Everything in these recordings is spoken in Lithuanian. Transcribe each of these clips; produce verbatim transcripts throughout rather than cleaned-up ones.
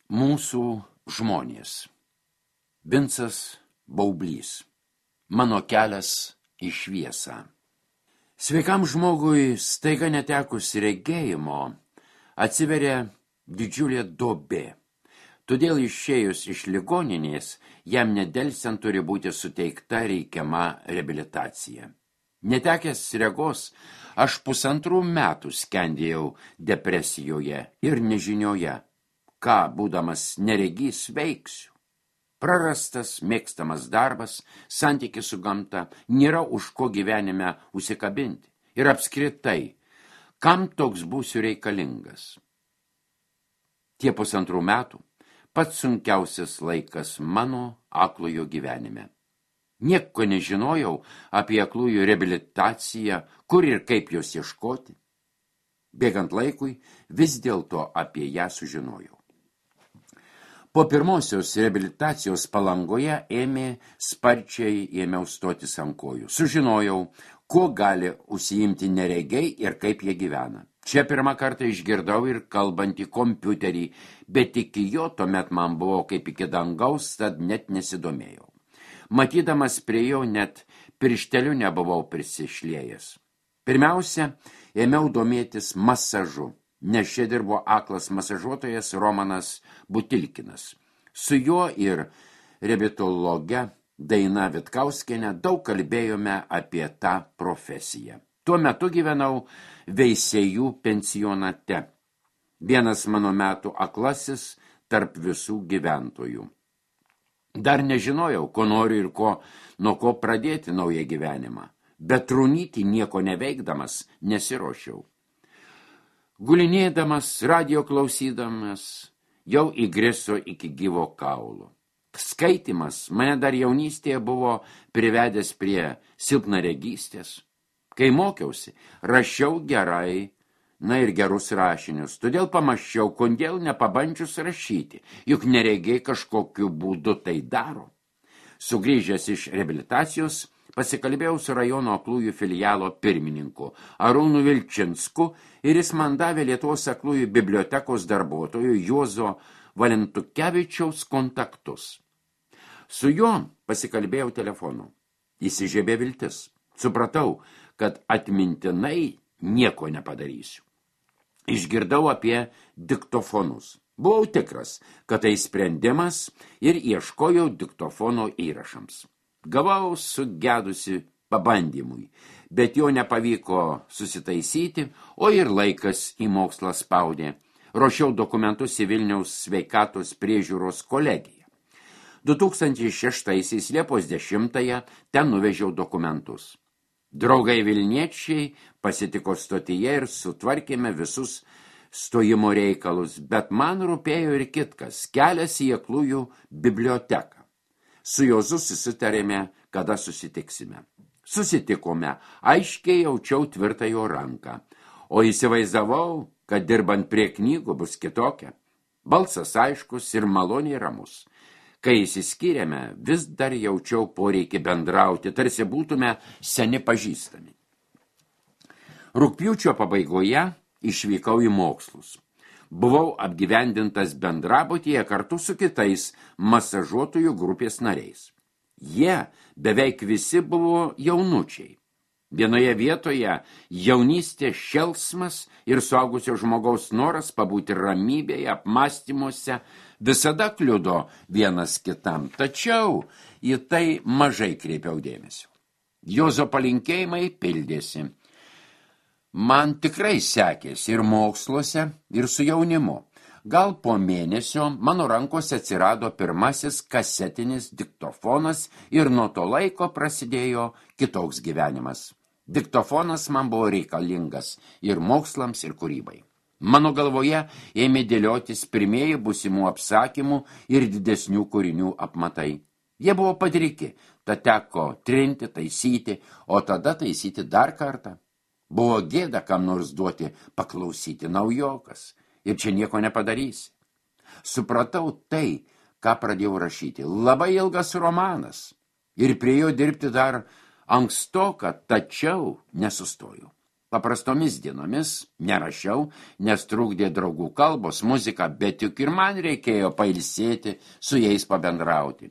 Mūsų žmonės. Vincas Baublys. Mano kelias į šviesą. Sveikam žmogui staiga netekus regėjimo atsiveria didžiulė duobė. Todėl išėjus iš ligoninės jam nedelsiant turi būti suteikta reikiama reabilitacija. Netekęs regos, aš pusantrų metų skendėjau depresijoje ir nežinioje, ką, būdamas neregys, veiksiu. Prarastas, mėgstamas darbas, santykis su gamta, nėra už ko gyvenime užsikabinti. Ir apskritai, kam toks būsiu reikalingas? Tie pusantrų metų pats sunkiausias laikas mano aklojo gyvenime. Nieko nežinojau apie aklųjų reabilitaciją, kur ir kaip jos ieškoti. Bėgant laikui, vis dėlto apie ją sužinojau. Po pirmosios reabilitacijos Palangoje ėmė sparčiai ėmiau stotis ant kojų. Sužinojau, kuo gali užsiimti neregiai ir kaip jie gyvena. Čia pirmą kartą išgirdau ir kalbantį kompiuterį, bet iki jo tuomet man buvo kaip iki dangaus, tad net nesidomėjau. Matydamas prie jo net piršteliu nebuvau prisišliejęs. Pirmiausia, ėmiau domėtis masažu, nes čia dirbo aklas masažuotojas Romanas Butilkinas. Su juo ir reabilitologe Daina Vitkauskienė daug kalbėjome apie tą profesiją. Tuo metu gyvenau Veisiejų pensionate. Vienas mano metų aklasis tarp visų gyventojų. Dar nežinojau, ko noriu ir ko, nuo ko pradėti naują gyvenimą, bet trūnyti nieko neveikdamas nesiruošiau. Gulinėdamas, radio klausydamas, jau įgriso iki gyvo kaulo. Skaitimas mane dar jaunystėje buvo privedęs prie silpnaregystės. Kai mokiausi, rašiau gerai, na ir gerus rašinius, todėl pamaščiau, kodėl nepabandžius rašyti, juk neregiai kažkokiu būdu tai daro. Sugrįžęs iš reabilitacijos, pasikalbėjau su rajono aklųjų filialo pirmininku Arūnu Vilčinsku ir jis man davė Lietuvos aklųjų bibliotekos darbuotojų Juozo Valentukevičiaus kontaktus. Su juo pasikalbėjau telefonu. Įsižiebė viltis. Supratau, kad atmintinai nieko nepadarysiu. Išgirdau apie diktofonus. Buvau tikras, kad tai sprendimas ir ieškojau diktofono įrašams. Gavau sugedusi pabandymui, bet jo nepavyko susitaisyti, o ir laikas į mokslą spaudė. Ruošiau dokumentus į Vilniaus sveikatos priežiūros kolegiją. du tūkstančiai šeštaisiais Liepos dešimtąją ten nuvežiau dokumentus. Draugai vilniečiai pasitiko stotyje ir sutvarkėme visus stojimo reikalus, bet man rūpėjo ir kitkas – kelias į aklųjų biblioteką. Su Jozu susitarėme, kada susitiksime. Susitikome, aiškiai jaučiau tvirtą jo ranką, o įsivaizdavau, kad dirbant prie knygų bus kitokia. Balsas aiškus ir maloniai ramus. Kai įsiskyrėme, vis dar jaučiau poreikį bendrauti, tarsi būtume seni pažįstami. Rugpjūčio pabaigoje išvykau į mokslus. Buvau apgyvendintas bendrabutyje kartu su kitais masažuotojų grupės nariais. Jie beveik visi buvo jaunučiai. Vienoje vietoje jaunystė šėlsmas ir suaugusio žmogaus noras pabūti ramybėje, apmąstymuose visada kliudo vienas kitam, tačiau į tai mažai kreipiau dėmesio. Jozo palinkėjimai pildėsi. Man tikrai sekėsi ir moksluose, ir su jaunimu. Gal po mėnesio mano rankose atsirado pirmasis kasetinis diktofonas ir nuo to laiko prasidėjo kitoks gyvenimas. Diktofonas man buvo reikalingas ir mokslams, ir kūrybai. Mano galvoje ėmė dėliotis pirmieji būsimų apsakymų ir didesnių kūrinių apmatai. Jie buvo padriki, tad teko trinti, taisyti, o tada taisyti dar kartą. Buvo gėda kam nors duoti paklausyti naujokas ir čia nieko nepadarysi. Supratau tai, ką pradėjau rašyti. Labai ilgas romanas ir prie jo dirbti dar ankstoka, tačiau nesustojau. Paprastomis dienomis nerašiau, nes trukdė draugų kalbos, muzika, bet juk ir man reikėjo pailsėti, su jais pabendrauti.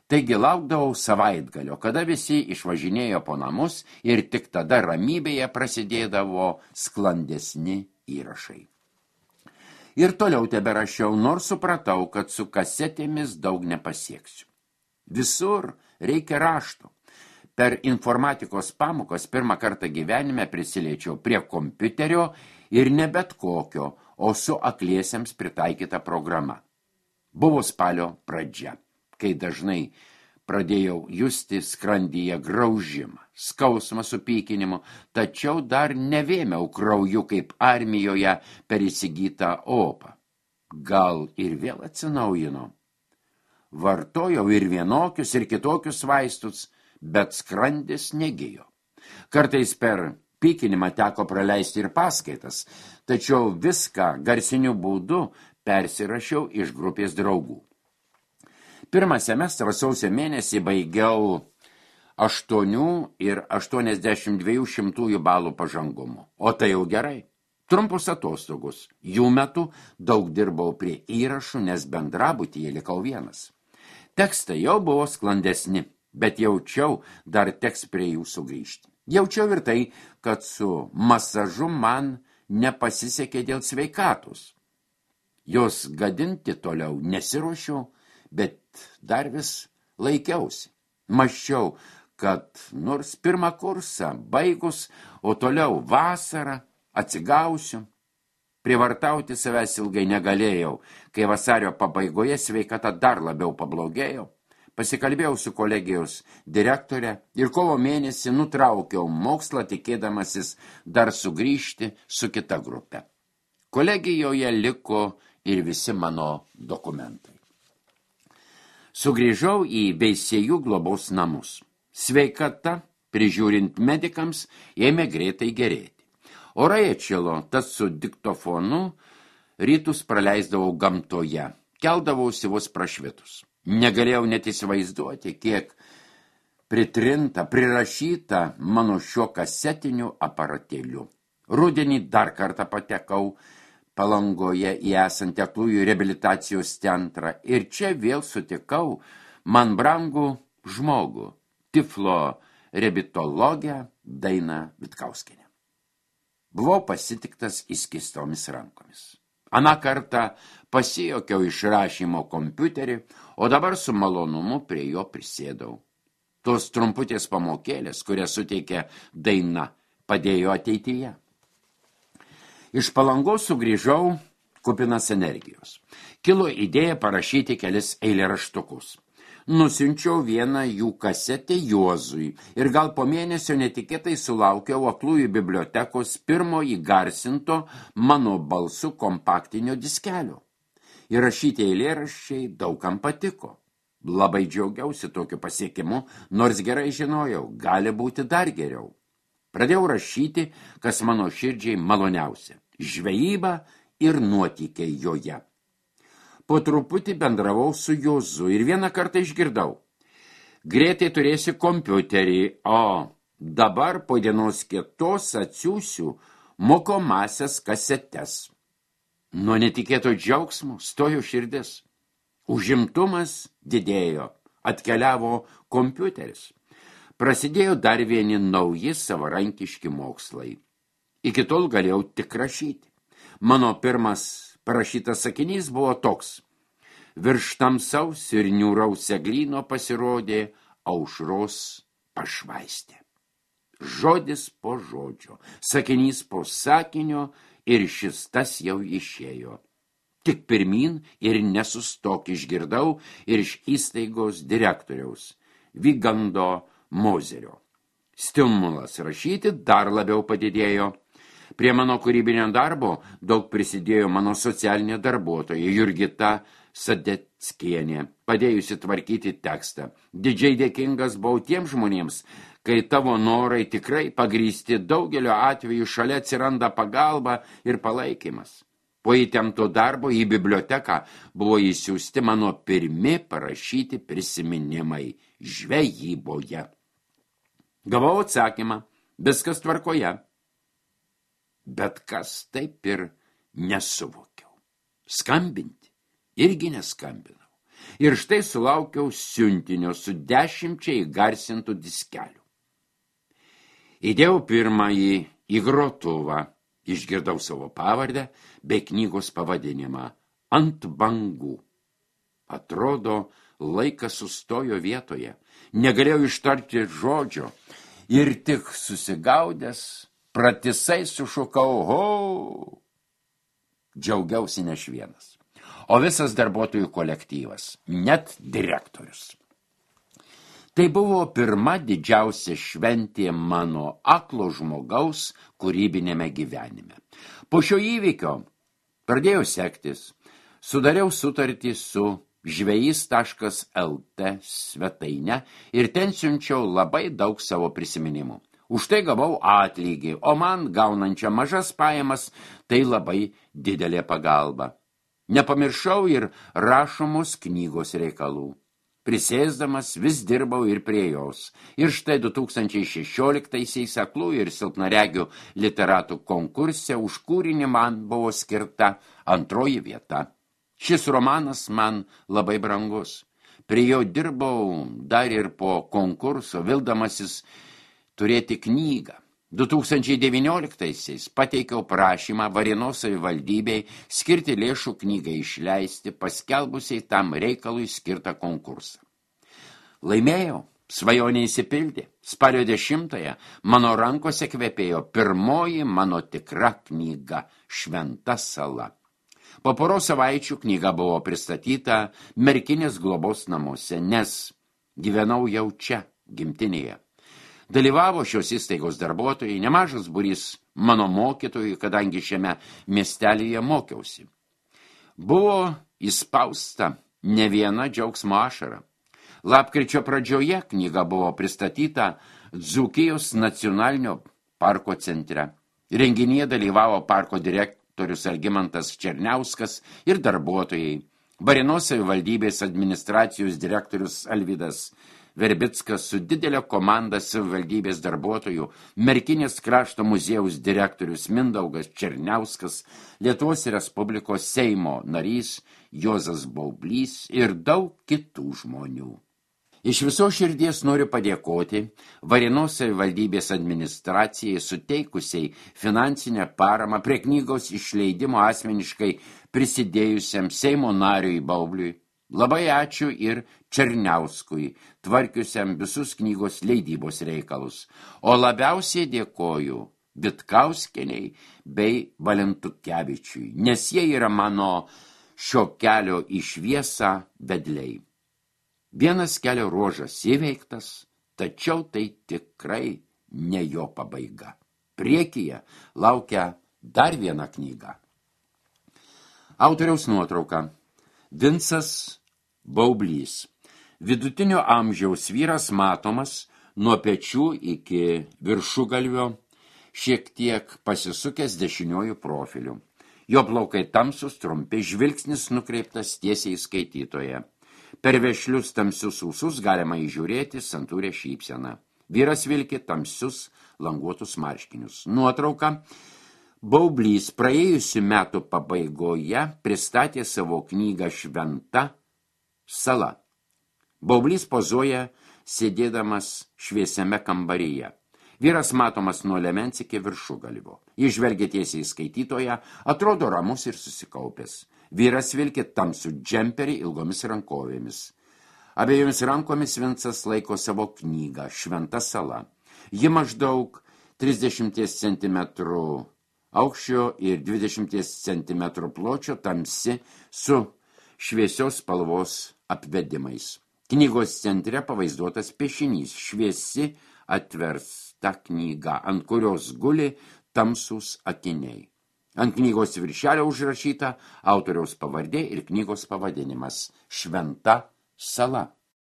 Taigi laukdavau savaitgalio, kada visi išvažinėjo po namus ir tik tada ramybėje prasidėdavo sklandesni įrašai. Ir toliau teberašiau, nors supratau, kad su kasetėmis daug nepasieksiu. Visur reikia rašto. Per informatikos pamokas pirmą kartą gyvenime prisiliečiau prie kompiuterio ir ne bet kokio, o su akliesiems pritaikyta programa. Buvo spalio pradžia, kai dažnai pradėjau justi skrandyje graužimą, skausmą su pykinimu, tačiau dar nevėmiau krauju kaip armijoje per įsigytą opą. Gal ir vėl atsinaujino. Vartojau ir vienokius, ir kitokius vaistus, bet skrandis negijo. Kartais per pykinimą teko praleisti ir paskaitas, tačiau viską garsiniu būdu persirašiau iš grupės draugų. Pirmą semestrą sausio mėnesį baigiau aštuonių ir aštuoniasdešimt dviejų šimtųjų balų pažangumu. O tai jau gerai. Trumpus atostogus. Jų metu daug dirbau prie įrašų, nes bendrabutyje likau vienas. Tekstai jau buvo sklandesni, bet jaučiau, dar teks prie jų sugrįžti. Jaučiau ir tai, kad su masažu man nepasisekė dėl sveikatos. Jos gadinti toliau nesiruošiau, bet dar vis laikiausi. Mąsčiau, kad nors pirmą kursą baigus, o toliau vasarą atsigausiu. Privartauti savęs ilgai negalėjau, kai vasario pabaigoje sveikata dar labiau pablogėjo. Pasikalbėjau su kolegijos direktore ir kovo mėnesį nutraukiau mokslą, tikėdamasis dar sugrįžti su kita grupe. Kolegijoje liko ir visi mano dokumentai. Sugrįžau į Veisiejų globos namus. Sveikata, prižiūrint medikams, ėmė greitai gerėti. Orai atšilo, tas su diktofonu rytus praleisdavau gamtoje, keldavausi vos prašvitus. Negalėjau net įsivaizduoti, kiek pritrinta, prirašyta mano šiuo kasetiniu aparatėliu. Rudenį dar kartą patekau Palangoje į esantį aklųjų reabilitacijos centrą ir čia vėl sutikau man brangų žmogų, tiflo reabilitologę Dainą Vitkauskienę. Buvau pasitiktas įskistomis rankomis. Aną kartą pasijokiau iš rašymo kompiuterį, o dabar su malonumu prie jo prisėdau. Tos trumputės pamokėlės, kurias suteikė Daina, padėjo ateityje. Iš Palangos sugrįžau kupinas energijos. Kilo idėja parašyti kelis eilėraštukus. Nusiunčiau vieną jų kasetę Juozui ir gal po mėnesio netikėtai sulaukiau aklųjų bibliotekos pirmo įgarsinto mano balsu kompaktinio diskelio. Įrašyti eilėraščiai daugam patiko. Labai džiaugiausi tokiu pasiekimu, nors gerai žinojau, gali būti dar geriau. Pradėjau rašyti, kas mano širdžiai maloniausia – žvejyba ir nuotykiai joje. Po truputį bendravau su Juozu ir vieną kartą išgirdau. Greitai turėsi kompiuterį, o dabar po dienos kitos atsiųsiu mokomasias kasetes. Nuo netikėto džiaugsmo stojo širdis. Užimtumas didėjo, atkeliavo kompiuteris. Prasidėjo dar vieni nauji savarankiški mokslai. Iki tol galėjau tik rašyti. Mano pirmas parašytas sakinys buvo toks. Virš tamsaus ir niūraus eglyno pasirodė aušros pašvaistė. Žodis po žodžio, sakinys po sakinio ir šis tas jau išėjo. Tik pirmin ir nesustok išgirdau ir iš įstaigos direktoriaus, Vigando Mozerio. Stimulas rašyti dar labiau padidėjo. Prie mano kūrybinio darbo daug prisidėjo mano socialinė darbuotoja Jurgita Sadeckienė, padėjusi tvarkyti tekstą. Didžiai dėkingas buvau tiems žmonėms, kai tavo norai tikrai pagrįsti, daugelio atveju šalia atsiranda pagalba ir palaikymas. Po įtempto darbo į biblioteką buvo įsiųsti mano pirmi parašyti prisiminimai žvejyboje. Gavau atsakymą, viskas tvarkoje. bet kas taip ir nesuvokiau. Skambinti irgi neskambinau. Ir štai sulaukiau siuntinio su dešimčia įgarsintų diskelių. Įdėjau pirmąjį į grotuvą, išgirdau savo pavardę bei knygos pavadinimą Ant bangų. Atrodo, laikas sustojo vietoje, negalėjau ištarti žodžio ir tik susigaudęs pratisai sušukau ho. Džiaugiausi ne aš vienas, o visas darbuotojų kolektyvas, net direktorius. Tai buvo pirma didžiausia šventė mano aklo žmogaus kūrybinėme gyvenime. Po šio įvykio pradėjau sektis, sudariau sutartį su žvejys taškas el tė svetaine ir ten siunčiau labai daug savo prisiminimų. Už tai gavau atlygį, o man gaunančią mažas pajamas tai labai didelė pagalba. Nepamiršau ir rašomos knygos reikalų. Prisėsdamas vis dirbau ir prie jos. Ir štai du tūkstančiai šešioliktaisiais aklų ir silpnaregių literatų konkurse už kūrinį man buvo skirta antroji vieta. Šis romanas man labai brangus. Prie jo dirbau dar ir po konkurso, vildamasis turėti knygą. du tūkstančiai devynioliktaisiais pateikiau prašymą Varėnos savivaldybei skirti lėšų knygai išleisti, paskelbusiai tam reikalui skirtą konkursą. Laimėjau, svajonė įsipildė. Spalio dešimtąją mano rankose kvepėjo pirmoji mano tikra knyga Šventa sala. Po poros savaičių knyga buvo pristatyta Merkinės globos namuose, nes gyvenau jau čia, gimtinėje. Dalyvavo šios įstaigos darbuotojai, nemažas būrys mano mokytojų, kadangi šiame miestelyje mokiausi. Buvo įspausta ne viena džiaugsmo ašara. Lapkričio pradžioje knyga buvo pristatyta Dzūkijos nacionalinio parko centre. Renginyje dalyvavo parko direktorius Algimantas Černiauskas ir darbuotojai. Varėnos savivaldybės administracijos direktorius Alvydas Verbickas su didelė komanda savivaldybės darbuotojų, Merkinės krašto muziejaus direktorius Mindaugas Černiauskas, Lietuvos Respublikos Seimo narys Juozas Baublys ir daug kitų žmonių. Iš viso širdies noriu padėkoti Varėnos savivaldybės administracijai suteikusiai finansinę paramą prie knygos išleidimo asmeniškai prisidėjusiam Seimo nariui Baubliui. Labai ačiū ir Černiauskui, tvarkiusiam visus knygos leidybos reikalus, o labiausiai dėkoju Vitkauskieniai bei Valentukevičiui, nes jie yra mano šio kelio į šviesą vedliai. Vienas kelio ruožas įveiktas, tačiau tai tikrai ne jo pabaiga. Priekyje laukia dar viena knyga. Autoriaus nuotrauka. Vincas Baublys. Vidutinio amžiaus vyras matomas nuo pečių iki viršugalvio, šiek tiek pasisukęs dešiniuoju profiliu. Jo plaukai tamsus, trumpi, žvilgsnis nukreiptas tiesiai į skaitytoją. Per vešlius tamsius ūsus galima įžiūrėti santūrę šypseną. Vyras vilki tamsius languotus marškinius. Nuotrauka. Baublys praėjusių metų pabaigoje pristatė savo knygą Šventa sala. Baublys pozuoja sėdėdamas šviesiame kambaryje. Vyras matomas nuo liemens iki viršugalvio. Jis žvelgia tiesiai į skaitytoją, atrodo ramus ir susikaupęs. Vyras vilki tamsų džemperį ilgomis rankovėmis. Abiejomis rankomis Vincas laiko savo knygą Šventa sala. Ji maždaug trisdešimt centimetrų aukščio ir dvidešimt centimetrų pločio, tamsi su šviesios spalvos apvedimais. Knygos centre pavaizduotas piešinys, šviesi atversta knyga, ant kurios guli tamsūs akiniai. Ant knygos viršelio užrašyta autoriaus pavardė ir knygos pavadinimas Šventa sala.